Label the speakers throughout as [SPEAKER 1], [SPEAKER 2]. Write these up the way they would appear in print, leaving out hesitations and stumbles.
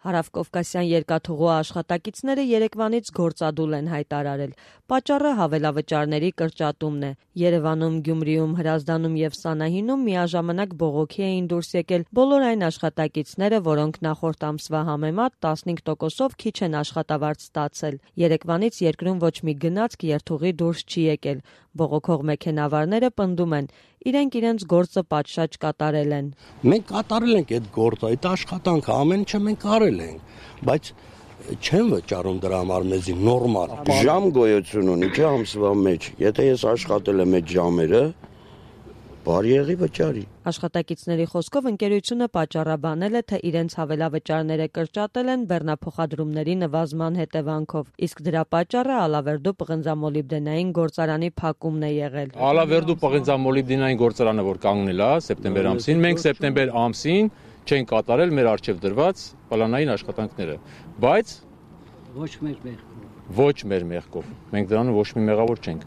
[SPEAKER 1] Հարավկովկասյան երկաթուղու աշխատակիցները երեկվանից գործադուլ են հայտարարել։ Պատճառը հավելավճարների կրճատումն է։ Երևանում, Գյումրիում, Հրազդանում և Սանահինում միաժամանակ բողոքի էին դուրս եկել բոլոր այն աշխատակիցները, որոնք նախորդ ամսվա համեմատ 15%-ով քիչ են աշխատավարձ ստացել։ Երեկվանից երկրում ոչ մի գնացք երթուղի դուրս չի եկել։ Բողոքող մեքենավարները պնդում են, իրենք իրենց գործը պատշաճ կատարել են։
[SPEAKER 2] Մենք կատարել ենք այդ գործը, այդ աշխատանքը, ամեն ինչը մենք արել ենք, բայց չեն վճարում դրա համար մեզի նորմալ։
[SPEAKER 3] Ժամ գոյություն ունի, չէ՞ ամսվա մեջ։ Եթե ես աշխատել եմ այդ ժամերը, բարի եղի վճարի։
[SPEAKER 1] Աշխատակիցների խոսքով ընկերությունը պատճառաբանել է, թե իրենց հավելավճարները կրճատել են բեռնափոխադրումների նվազման հետևանքով, իսկ դրա պատճառը Ալավերդու պղնձամոլիբդենային գործարանի փակումն է եղել։
[SPEAKER 4] Ալավերդու պղնձամոլիբդենային գործարանը, որ կանգնել է սեպտեմբեր ամսին, մենք սեպտեմբեր ամսին չենք կատարել մեր առջև դրված պլանային աշխատանքները, բայց ոչ մեր մեղքով։ Մենք դրանում ոչ մի մեղավոր չենք։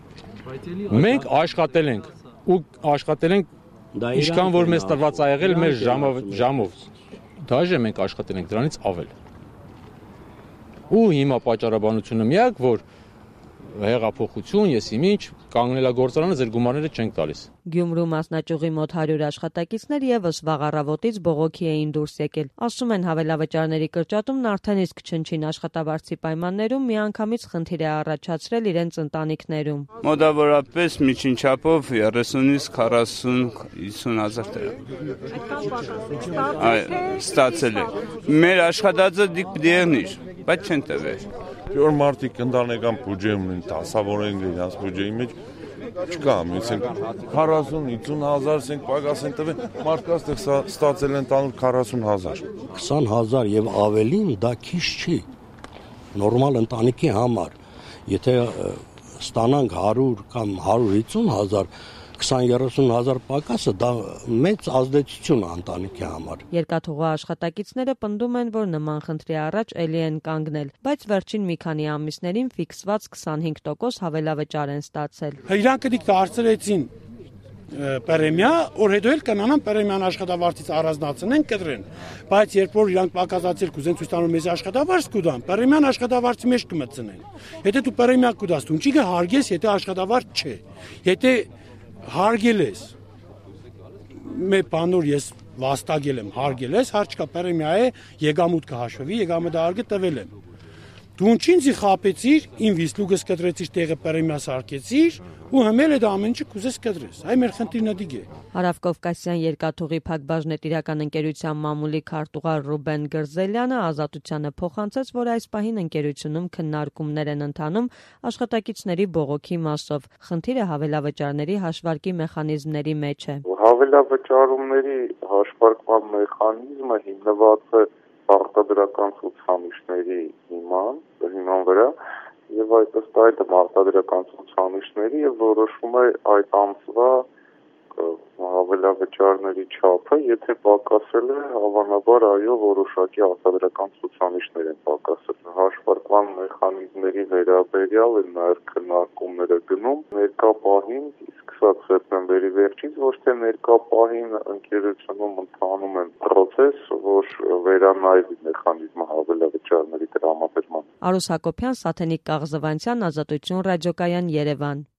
[SPEAKER 4] Մենք աշխատել ենք ու աշխատել ենք ինչքան որ մեզ տրված ա եղել մեր ժամով։ Դաժե մենք աշխատել ենք դրանից ավել։ Ու հիմա պատճառաբանությունը միակ, որ հեղափոխություն, եսիմինչ, կանգնելագործարանը ձեր գումարները չենք տալիս։
[SPEAKER 1] Գյումրու մասնաճյուղի մոտ 100 աշխատակիցներ եւս վաղ առավոտից բողոքի էին դուրս եկել։ Ասում են հավելավճարների կրճատումն արդեն իսկ չնչին աշխատավարձի պայմաններում միանգամից խնդիր է առաջացրել իրենց ընտանիքներում։
[SPEAKER 5] Մոտավորապես միջին չափով 30-ից 40-50 հազար դրամ ստացել է։ Մեր աշխատածը դիպ դեղնիր, բայց չեն տվել։
[SPEAKER 6] Որ մարդիկ ընտանեկան բյուջեում են, դասավորեն իրենց բյուջեի մեջ չկա, մենք 40-50 հազար ենք պակաս են տվել, մարդկանց ստացել են տանուլ 40 հազար։
[SPEAKER 2] 20 հազար և ավելին դա քիչ չի, նորմալ ընտանիքի համար, եթե ստանանք 100 կամ 150 հազար, 20-30 հազար պակասը դա մեծ ազդեցություն է ընտանիքի համար։
[SPEAKER 1] Երկաթուղու աշխատակիցները պնդում են, որ նման խնդրի առաջ էլի են կանգնել, բայց վերջին մի քանի ամիսներին ֆիքսված 25% հավելավճար են ստացել։
[SPEAKER 7] Իրանք դիք դարձրեցին պրեմիա, որ հետո էլ կանանան պրեմիան աշխատավարձից առանձնացնեն, կտրեն։ Բայց երբ որ իրանք պակասացել կուզեն ցույց տալու մեզ աշխատավարձ կուտան, պրեմիան աշխատավարձի մեջ կմտցնեն։ Եթե դու պրեմիա կուտաս, դու ինչի կհարգես, եթե աշխատավարձ չէ։ Եթե հարգել ես, մեր բանոր ես վաստակել եմ, հարգել ես, հարց կա պրեմիա է, եկամուտ կհաշվի, եկամուտը հարգը տվել եմ։ Դու ինչինձի խապեցիր, իմ վիսլուգս կտրեցիր, տեղը պրեմիա սարքեցիր ու հմել է դա ամեն ինչը կուզես կտրես։ Այ մեր խնդիրն է դիգ է։
[SPEAKER 1] Հարավկովկասյան երկաթուղի փակbaşնետիրական ընկերության մամուլի քարտուղար Ռուբեն Գրզելյանը Ազատությանը փոխանցեց, որ այս պահին ընկերությունում քննարկումներ են ընթանում աշխատակիցների բողոքի մասով։ Խնդիրը հավելավճարների հաշվարկի մեխանիզմների մեջ է։
[SPEAKER 8] Հավելավճարումների հաշվարկման մեխանիզմը հիմնված է արտադրական ցուցանիշների հիման վրա եւ այդ ըստ այդ արտադրական ցուցանիշների եւ որոշվում է այդ ամսվա հավելավճարների չափը, եթե պակասել է, հավանաբար այո որոշակի արտադրական ցուցանիշներ են պակասել։ Հաշվարկման մեխանիզմների վերաբերյալ են նաեւ քննարկումները գնում ներկա պահին, սկսած սեպտեմբերի վերջից, ոչ թե ներկա պահին ընկերությունում ընթանում են process, որ վերանայվի մեխանիզմը հավելավճարների տրամադրման։
[SPEAKER 1] Արուս Հակոբյան, Սաթենիկ Կաղզվանցյան, Ազատություն ռադիոկայան, Երևան։